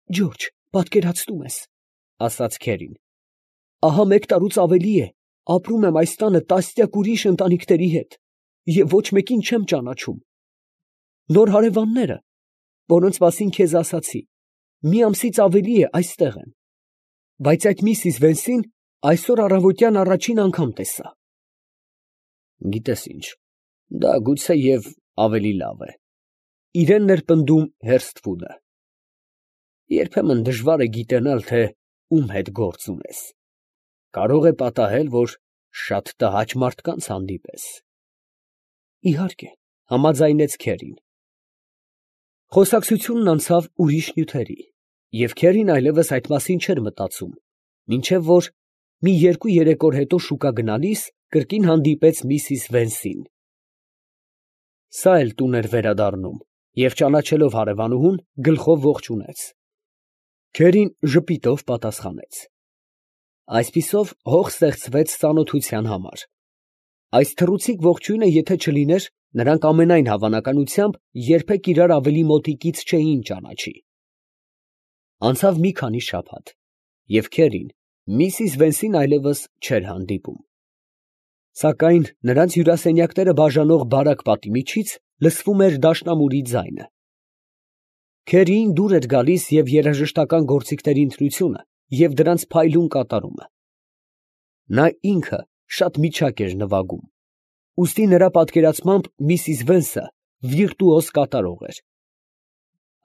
Ջորջ, պատկերացնում ես, ասաց քերին, ահա 1 տարուց ավելի է, ապրում եմ այս տանը տասնյակ ուրիշ ընտանիքների հետ և ոչ մեկին չեմ ճանաչում։ Նոր հարևանները, որոնց մասին քեզ ասացի, մի ամսից ավելի է այստեղ են, բայց այդ Միսիս Վենսին այսօր առավոտյան առաջին անգամ տեսա։ Գիտես ինչ, դա գուցեև ավելի լավ է, իրեն ներպնդում Հերսթվուդը։ Երբեմն դժվար է գիտենալ, թե ում հետ գործ ունես։ Կարող է պատահել, որ շատ տհաճ մարդկանց հանդիպես։ Իհարկե, համաձայնեց քերին։ Խոսակցությունն անցավ ուրիշ նյութերի, և քերին այլևս այդ մասին չէր մտածում, մինչև որ մի 2-3 օր հետո շուկա գնալիս կրկին հանդիպեց Միսիս Վենսին։ Սա էլ տուն էր վերադառնում և ճանաչելով հարևանուհուն, գլխով ողջունեց։ Քերին ժպիտով պատասխանեց։ Այսպիսով հող ստեղծվեց ծանոթության համար։ Այս թռուցիկ ողջույնը եթե չլիներ, նրանք ամենայն հավանականությամբ երբեք իրար ավելի մոտիկից չէին ճանաչի։ Անցավ մի քանի շաբաթ, և քերին Միսիս Վենսին այլևս չէր հանդիպում։ Սակայն նրանց հյուրասենյակները բաժանող բարակ պատի միջից լսվում էր դաշնամուրի ձայնը։ Քերիին դուր էր գալիս և երաժշտական գործիքների ընտրությունը և դրանց փայլուն կատարումը։ Նա ինքը շատ միչակ էր նվագում, ուստի նրա պատկերացմամբ Միսիս Վենսը վիրտուոզ կատարող էր։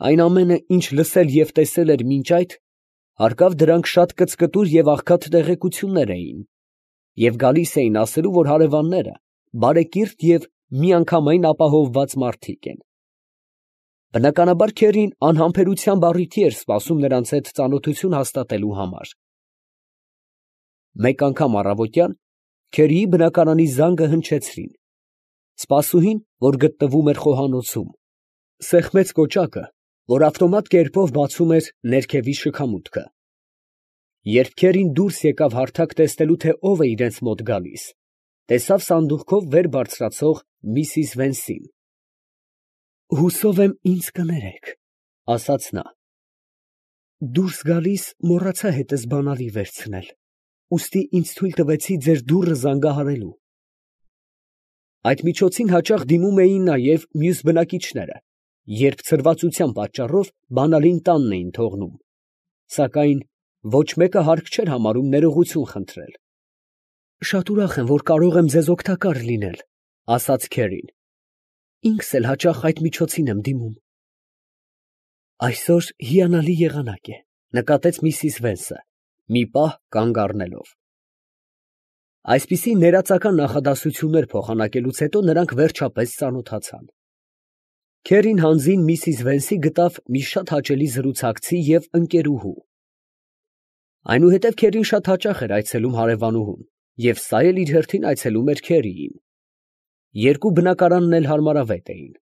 Այն ամենը, ինչ լսել և տեսել էր մինչ այդ, հարկավ դրանք շատ կծկտուր և աղքատ տեղեկություններ էին, և գալիս էին ասելու, որ հարևանները բարեկիրթ և միանգամայն ապահովված մարդիկ են։ Բնականաբար քերին անհամբերությամբ առիթի էր սպասում նրանց հետ ծանոթություն հաստատելու համար։ Մեկ անգամ առավոտյան քերիի բնակարանի զանգը հնչեցրին։ Սպասուհին, որ գտնվում էր խոհանոցում, սեղմեց կոճակը, որ ավտոմատ կերպով բացում էր ներքևի շքամուտքը։ Երբ քերին դուրս եկավ հարթակ տեսնելու, թե ով է իրենց մոտ գալիս, տեսավ սանդուղքով վեր բարձրացող Միսիս Վենսին։ «Հուսով եմ ինձ կներեք, ֊ ասաց նա, ֊ դուրս գալիս մոռացա հետս բանալի վերցնել, ուստի ինձ թույլ տվեցի ձեր դուռը զանգահարելու»։ Այդ միջոցին հաճախ դիմում էին նաև մյուս բնակիչները, երբ ցրվածության պատճառով բանալին տանն էին թողնում, սակայն ոչ մեկը հարկ չէր համարում ներողություն խնդրել։ «Շատ ուրախ եմ, որ կարող եմ ձեզ օգտակար լինել, ֊ ասաց քերին, ֊ ինքս էլ հաճախ այդ միջոցին եմ դիմում»։ «Այսօր հիանալի եղանակ է, ֊ նկատեց Միսիս Վենսը, մի պահ կանգ առնելով»։ Այսպիսի ներածական նախադասություններ փոխանակելուց հետո նրանք վերջապես ծանոթացան։ Քերին հանձին Միսիս Վենսի գտավ մի շատ հաճելի զրուցակցի և ընկերուհու։ Այնուհետև քերին շատ հաճախ էր այցելում հարևանուհուն, և սա էլ իր հերթին այցելում էր քերիին։ Երկու բնակարանն էլ հարմարավետ էին,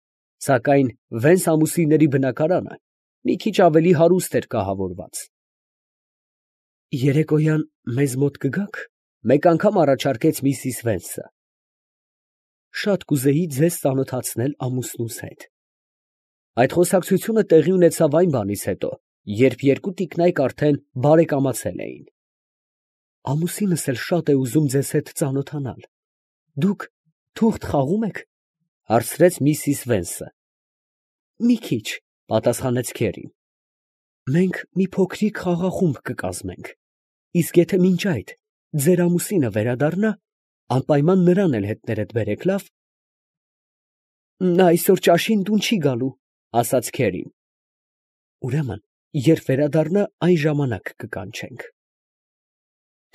սակայն Վենս ամուսինների բնակարանը մի քիչ ավելի հարուստ էր կահավորված։ «Երեկոյան մեզ մոտ կգաք, ֊ մեկ անգամ առաջարկեց Միսիս Վենսը, ֊ շատ կուզեի ձեզ ծանոթացնել ամուսնուս հետ»։ Այդ խոսակցությունը տեղի ունեցավ այն բանից հետո, երբ երկու տիկնայք արդեն բարեկամացել էին։ «Ամուսինս էլ շատ է ուզում ձեզ հետ ծանոթանալ, դուք թուղթ խաղո՞ւմ եք, ֊ հարցրեց Միսիս Վենսը։ ֊ Մի քիչ, ֊ պատասխանեց քերին։ ֊ Մենք մի փոքրիկ խաղախումբ կկազմենք, իսկ եթե մինչ այդ ձեր ամուսինը վերադառնա, անպայման նրան էլ հետներդ բերեք, լավ։ ֊ Նա այսօր ճաշին տուն չի գալու, ֊ ասաց քերին։ ֊ Ուրեմն, երբ վերադառնա, այն ժամանակ կկանչենք։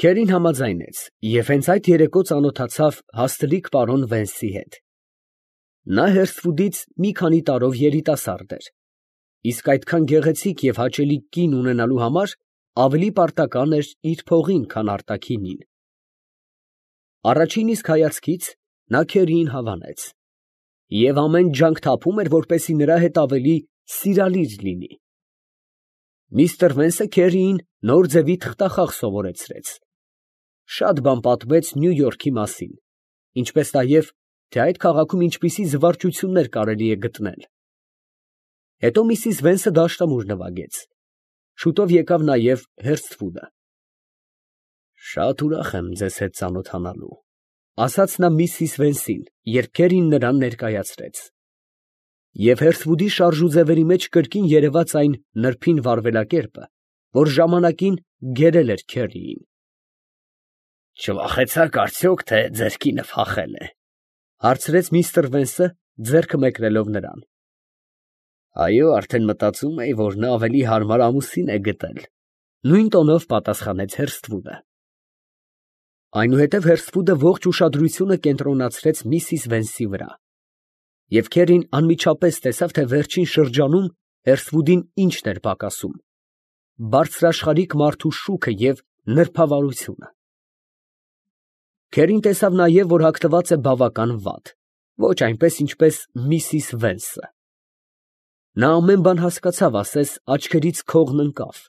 Քերին համաձայնեց և հենց այդ երեկո ծանոթացավ հաստլիկ պարոն Վենսի հետ։ Նա Հերսթվուդից մի քանի տարով երիտասարդ էր, իսկ այդքան գեղեցիկ և հաճելի կին ունենալու համար ավելի պարտական էր իր փողին, քան արտաքինին։ Առաջին իսկ հայացքից նա քերիին հավանեց, և ամեն ջանք թափում էր, որպեսզի նրա հետ ավելի սիրալիր լինի։ Միսթր Վենսը քերիին նոր ձևի թղթախաղ սովորեցրեց, շատ բան պատմեց Նյու Յորքի մասին, ինչպես նաև, թե այդ քաղաքում ինչպիսի զվարճություններ կարելի է գտնել։ Հետո Միսիս Վենսը դաշնամուր նվագեց, Շուտով եկավ նաև Հերսթվուդը։ Շատ ուրախ եմ ձեզ հետ ծանոթանալու, ասաց նա միսիս Վենսին, երբ քերին նրան ներկայացրեց։ Եվ Հերթվուդի շարժուձևերի մեջ կրկին երևաց այն նրբին վարվելակերպը, որ ժամանակին գերել էր քերիին։ Չվախեցաք արդյոք, թե ձեր կինը փախել է, հարցրեց միստր Վենսը, ձեռքը մեկնելով նրան։ Այո, արդեն մտածում էի, որ նա ավելի հարմար ամուսին է գտել, նույն տոնով պատասխանեց Հերսթվուդը։ Այնուհետև Հերսթվուդը ողջ ուշադրությունը կենտրոնացրեց միսիս Վենսի վրա։ Եվ քերին անմիջապես տեսավ, թե վերջին շրջանում Հերսթվուդին ինչն էր պակասում. բարձրաշխարհիկ մարդու շուքը և նրբավարությունը։ Քերին տեսավ նաև, որ հագնված է բավական վատ, ոչ այնպես, ինչպես միսիս Վենսը։ Նա ամեն բան հասկացավ, ասես աչքերից քողն ընկավ։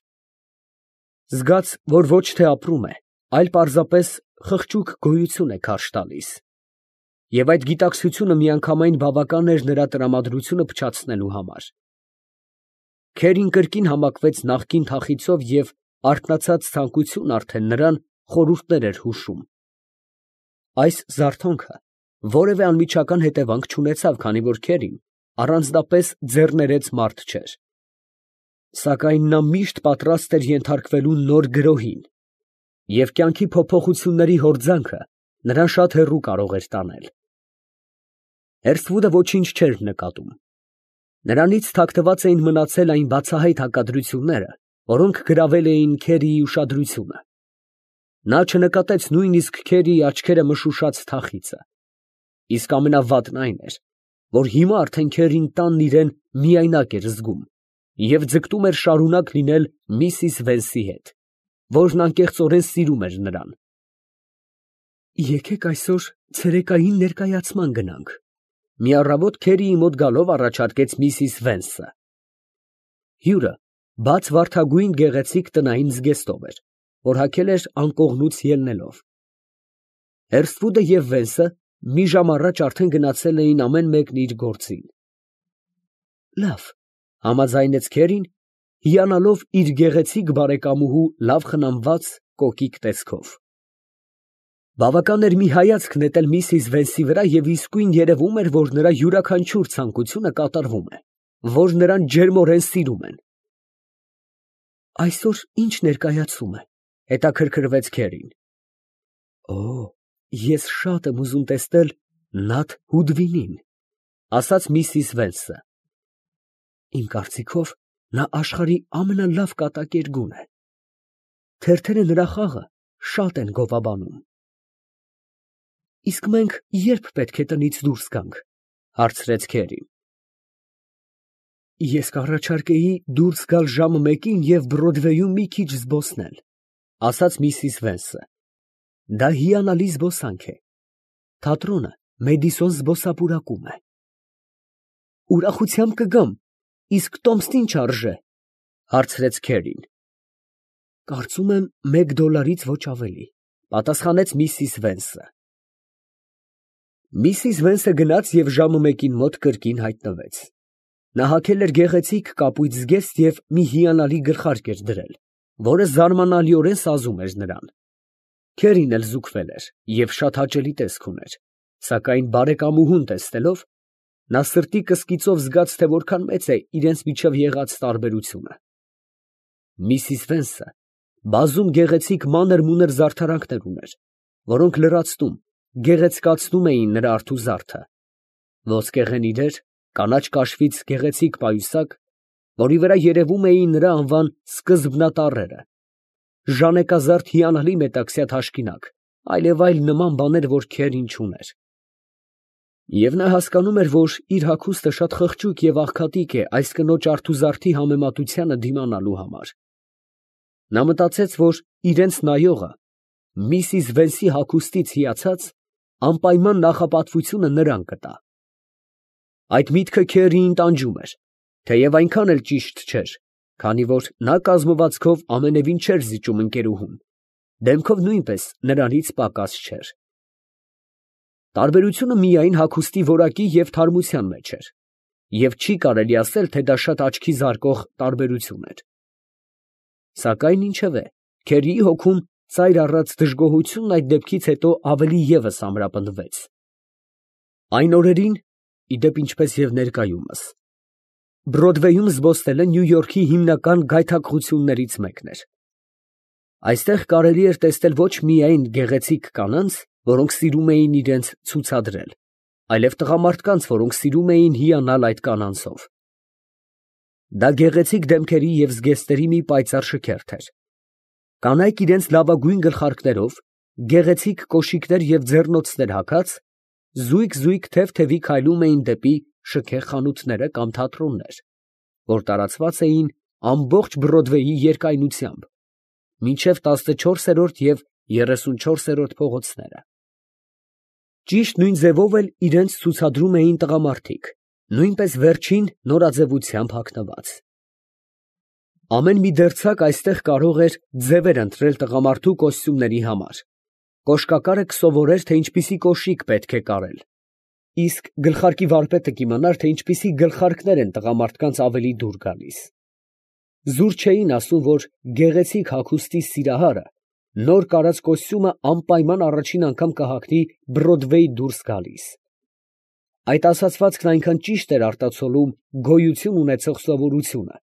Զգաց, որ ոչ թե ապրում է, այլ պարզապես խղճուկ գոյություն է քարշ տալիս։ Եվ այդ գիտակցությունը միանգամայն բավական էր նրա տրամադրությունը փչացնելու համար։ Քերին կրկին համակվեց նախկին թախիծով և արթնացած ցանկություն արդեն նրան խորհուրդներ էր հուշում։ Այս զարթոնքը որևէ անմիջական հետևանք չունեցավ, քանի որ քերին առանձնապես ձեռներեց մարդ չէր։ Սակայն նա միշտ պատրաստ էր ենթարկվելու նոր գրոհին, և կյանքի փոփոխությունների հորձանքը նրան շատ հեռու կարող էր տանել։ Հերսթվուդը ոչինչ չէր նկատում։ Նրանից թաքնված էին մնացել այն բացահայտ հակադրությունները, որոնք գրավել էին քերիի ուշադրությունը։ Նա չնկատեց նույնիսկ քերիի աչքերը մշուշած թախիծը։ Իսկ ամենավատն այն էր, որ հիմա արդեն քերին տանն իրեն միայնակ էր զգում և ձգտում էր շարունակ լինել միսիս Վենսի հետ, որն անկեղծորեն սիրում էր նրան։ Եկեք այսօր ցերեկային ներկայացման գնանք, մի առավոտ քերիի մոտ գալով առաջարկեց միսիս Վենսը։ Հյուրը բաց վարդագույն գեղեցիկ տնային զգեստով էր, որ հագել էր անկողնուց ելնելով։ Հերսթվուդը և Վենսը մի ժամ առաջ արդեն գնացել էին ամեն մեկն իր գործին։ Լավ, համաձայնեց քերին, հիանալով իր գեղեցիկ բարեկամուհու լավ խնամված կոկիկ տեսքով։ Բավական էր մի հայացք նետել միսիս Վենսի վրա և իսկույն երևում էր, որ նրա յուրաքանչյուր ցանկությունը կատարվում է, որ նրան ջերմորեն սիրում են։ Այսօր ի՞նչ ներկայացում է, հետաքրքրվեց քերին։ Օ, ես շատ եմ ուզում տեսնել Նաթ Հուդվինին, ասաց միսիս Վենսը։ Իմ կարծիքով նա աշխարհի ամենալավ կատակերգուն է։ Թերթերը նրա խաղը շատ են գովաբանում։ Իսկ մենք ե՞րբ պետք է տնից դուրս գանք, հարցրեց քերին։ Ես կառաջարկեի դուրս գալ ժամը 1-ին և Բրոդվեյում մի քիչ զբոսնել, ասաց միսիս Վենսը։ Դա հիանալի զբոսանք է։ Թատրոնը Մեդիսոն զբոսապուրակում է։ Ուրախությամբ կգամ, իսկ տոմսն ինչ արժե, հարցրեց քերին։ Կարծում եմ $1 ոչ ավելի, պատասխանեց միսիս Վենսը։ Միսիս Վենսը գնաց և ժամը 1-ին մոտ կրկին հայտնվեց։ Նա հագել էր գեղեցիկ կապույտ զգեստ և մի հիանալի գլխարկ էր դրել, որը զարմանալիորեն սազում էր նրան։ Քերին էլ զուգվել էր և շատ հաճելի տեսք ուներ, սակայն բարեկամուհուն տեսնելով, նա սրտի կսկիծով զգաց, թե որքան մեծ է իրենց միջև եղած տարբերությունը։ Միսիս Վենսը բազում գեղեցիկ մանր֊մունր զարդարանքներ ուներ, որոնք լրացնում, գեղեցկացնում էին նրա արթուզարդը։ Ոսկեղենի դեր, կանաչ կաշվից գեղեցիկ պայուսակ, որի վրա երևում էին նրա անվան սկզբնատառերը, ժանեկազարդ հիանալի մետաքսյա թաշկինակ, այլևայլ նման բաներ, որ քերին չուներ։ Եվ նա հասկանում էր, որ իր հագուստը շատ խղճուկ և աղքատիկ է այս կնոջ արթուզարդի համեմատությանը դիմանալու համար։ Նա մտածեց, որ իրենց նայողը միսիս Վենսի հագուստից հիացած անպայման նախապատվությունը նրան կտա։ Այդ միտքը քերիին տանջում էր, թեև այնքան էլ ճիշտ չէր, քանի որ նա կազմվածքով ամենևին չէր զիջում ընկերուհուն, դեմքով նույնպես նրանից պակաս չէր։ Տարբերությունը միայն հագուստի որակի և թարմության մեջ էր, և չի կարելի ասել, թե դա շատ աչքի զարկող տարբերություն էր։ Սակայն ինչևէ, Քերիի հոգում ծայր առած դժգոհությունն այդ դեպքից հետո ավելի ևս ամրապնդվեց։ Այն օրերին, ի դեպ ինչպես և ներկայումս, Բրոդվեյում զբոսնելը Նյու Յորքի հիմնական գայթակղություններից մեկն էր։ Այստեղ կարելի էր տեսնել ոչ միայն գեղեցիկ կանանց, որոնք սիրում էին իրենց ցուցադրել, այլև տղամարդկանց, որոնք սիրում էին հիանալ այդ կանանցով։ Դա գեղեցիկ դեմքերի և զգեստների մի պայծառ շքերթ էր։ Կանայք իրենց լավագույն գլխարկներով, գեղեցիկ կոշիկներ և ձեռնոցներ հագած, զույգ թև֊թևի քայլում էին դեպի շքեղ խանութները կամ թատրոններ, որ տարածված էին ամբողջ Բրոդվեյի երկայնությամբ, մինչև 14-րդ և 34-րդ փողոցները։ Ճիշտ նույն ձևով էլ իրենց ցուցադրում էին տղամարդիկ, նույնպես վերջին նորաձևությամբ հագնված։ Ամեն մի դերձակ այստեղ կարող էր ձևեր ընտրել տղամարդու կոստյումների համար, կոշկակարը կսովորեր, թե ինչպիսի կոշիկ պետք է կարել, իսկ գլխարկի վարպետը կիմանար, թե ինչպիսի գլխարկներ են տղամարդկանց ավելի դուր գալիս։ Զուր չէին ասում, որ գեղեցիկ հագուստի սիրահարը նոր կարած կոստյումը անպայման առաջին անգամ կհագնի Բրոդվեյ դուրս գալիս։ Այդ ասացվածքն այնքան ճիշտ էր արտացոլում գոյություն ունեցող սովորությունը,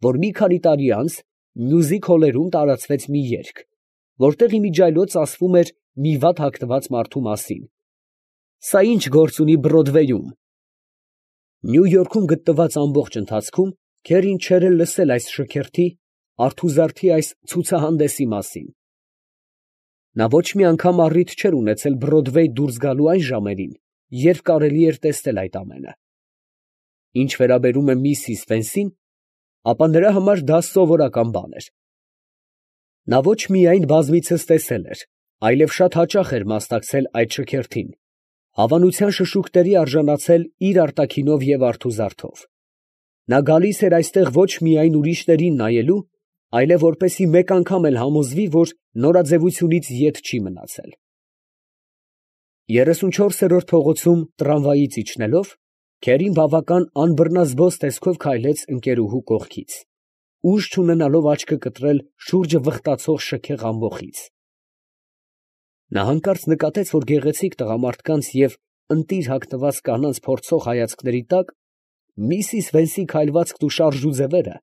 որ մի քանի տարի անց մյուզիք հոլերում տարածվեց մի երգ, որտեղ իմիջիայլոց ասվում էր մի վատ հագնված մարդու մասին. «Սա ի՞նչ գործ ունի Բրոդվեյում»։ Նյու Յորքում գտնված ամբողջ ընթացքում Քերին չէր էլ լսել այս շքերթի, արթուզարդի այս ցուցահանդեսի մասին։ Նա ոչ մի անգամ առիթ չէր ունեցել Բրոդվեյ դուրս գալու այն ժամերին, երբ կարելի էր տեսնել այդ ամենը։ Ինչ վերաբերում է միսիս Վենսին, ապա նրա համար դա սովորական բան էր։ Նա ոչ միայն բազմիցս տեսել էր, այլև շատ հաճախ էր մասնակցել այդ շքերթին, հավանության շշուկների արժանացել իր արտաքինով և արթուզարդով։ Նա գալիս էր այստեղ ոչ միայն ուրիշներին նայելու, այլև որպեսզի մեկ անգամ էլ համոզվի, որ նորաձևությունից ետ չի մնացել։ 34-րդ փողոցում տրամվայից իջնելով, Քերին բավական անբռնազբոս տեսքով քայլեց ընկերուհու կողքից, ուժ չունենալով աչքը կտրել շուրջը վխտացող շքեղ ամբոխից։ Նա հանկարծ նկատեց, որ գեղեցիկ տղամարդկանց և ընտիր հագնված կանանց փորձող հայացքների տակ միսիս Վենսի քայլվածքն ու շարժուձևերը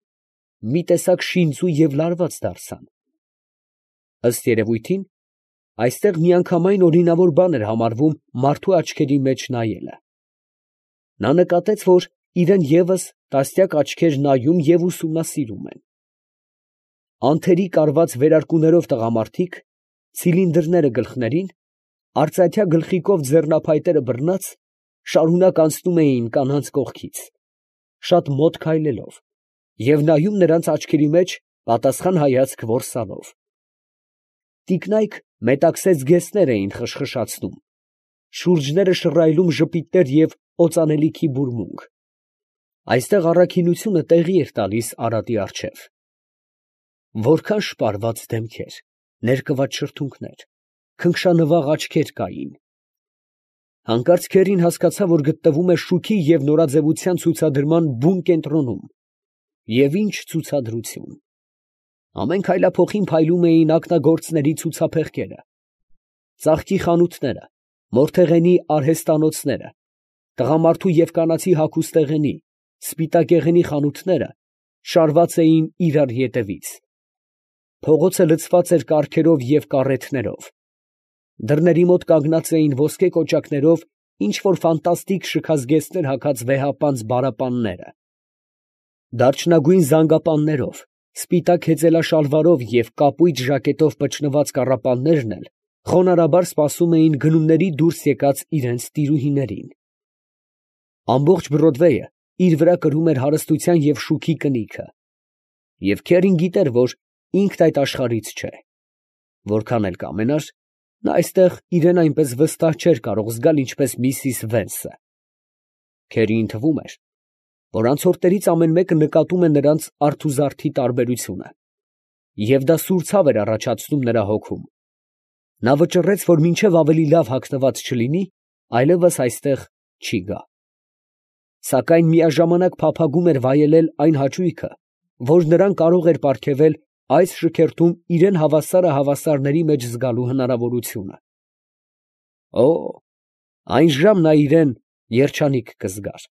մի տեսակ շինծու և լարված դարձան։ Ըստ երևույթին, այստեղ միանգամայն օրինավոր բան էր համարվում մարդու աչքերի մեջ նայելը։ Նա նկատեց, որ իրան ևս տասնյակ աչքեր նայում և ուսումնասիրում են։ Անթերի կարված վերարկուներով տղամարդիկ, ցիլինդրները գլխներին, արծաթյա գլխիկով ձեռնափայտերը բռնած, շարունակ անցնում էին կանանց կողքից, շատ մոտ քայլելով, և նայում նրանց աչքերի մեջ պատասխան հայացք որսալով։ Տիկնայք մետաքսե զգեստներ էին խշխշացնում, շուրջները շռայլում ժպիտներ և օծանելիքի բուրմունք։ Այստեղ առաքինությունը տեղի էր տալիս արատի առջև։ Որքան շպարված դեմքեր, ներկված շրթունքներ, քնքշանվաղ աչքեր կային։ Հանկարծ Քերին հասկացավ, որ գտնվում է շուքի և նորաձևության ցուցադրման բուն կենտրոնում։ Եվ ինչ ցուցադրություն… Ամեն քայլափոխին փայլում էին ակնագործների ցուցափեղկերը, ծաղկի խանութները, մորթեղենի արհեստանոցները, տղամարդու և կանացի հագուստեղենի, սպիտակեղենի խանութները շարված էին իրար ետևից։ Փողոցը լցված էր կառքերով և կառեթներով։ Դռների մոտ կանգնած էին ոսկե կոճակներով ինչ֊որ ֆանտաստիկ շքազգեստներ հագած վեհապանծ բարապանները։ Դարչնագույն զանգապաններով, սպիտակ հեծելաշալվարով և կապույտ ժակետով պճնված կառապաններն էլ խոնարհաբար սպասում էին գնումների դուրս եկած իրանց տիրուհիներին։ Ամբողջ Բրոդվեյը իր վրա կրում էր հարստության և շուքի կնիքը, և Քերին գիտեր, որ ինքն այդ աշխարհից չէ։ Որքան էլ կամենար, նա այստեղ իրան այնպես վստահ չէր կարող զգալ, ինչպես միսիս Վենսը։ Քերիին թվում էր, որ անցորդներից ամեն մեկը նկատում է նրանց արթուզարդի տարբերությունը, և դա սուր ցավ էր առաջացնում նրա հոգում։ Նա վճռեց, որ մինչև ավելի լավ հագնված չլինի, այլևս այստեղ չի գա։ Սակայն միաժամանակ փափագում էր վայելել այն հաճույքը, որ նրան կարող էր պարգևել այս շքերթում իրան հավասարը հավասարների մեջ զգալու հնարավորությունը։ Օ՜, այն ժամ նա իրան երջանիկ կզգար։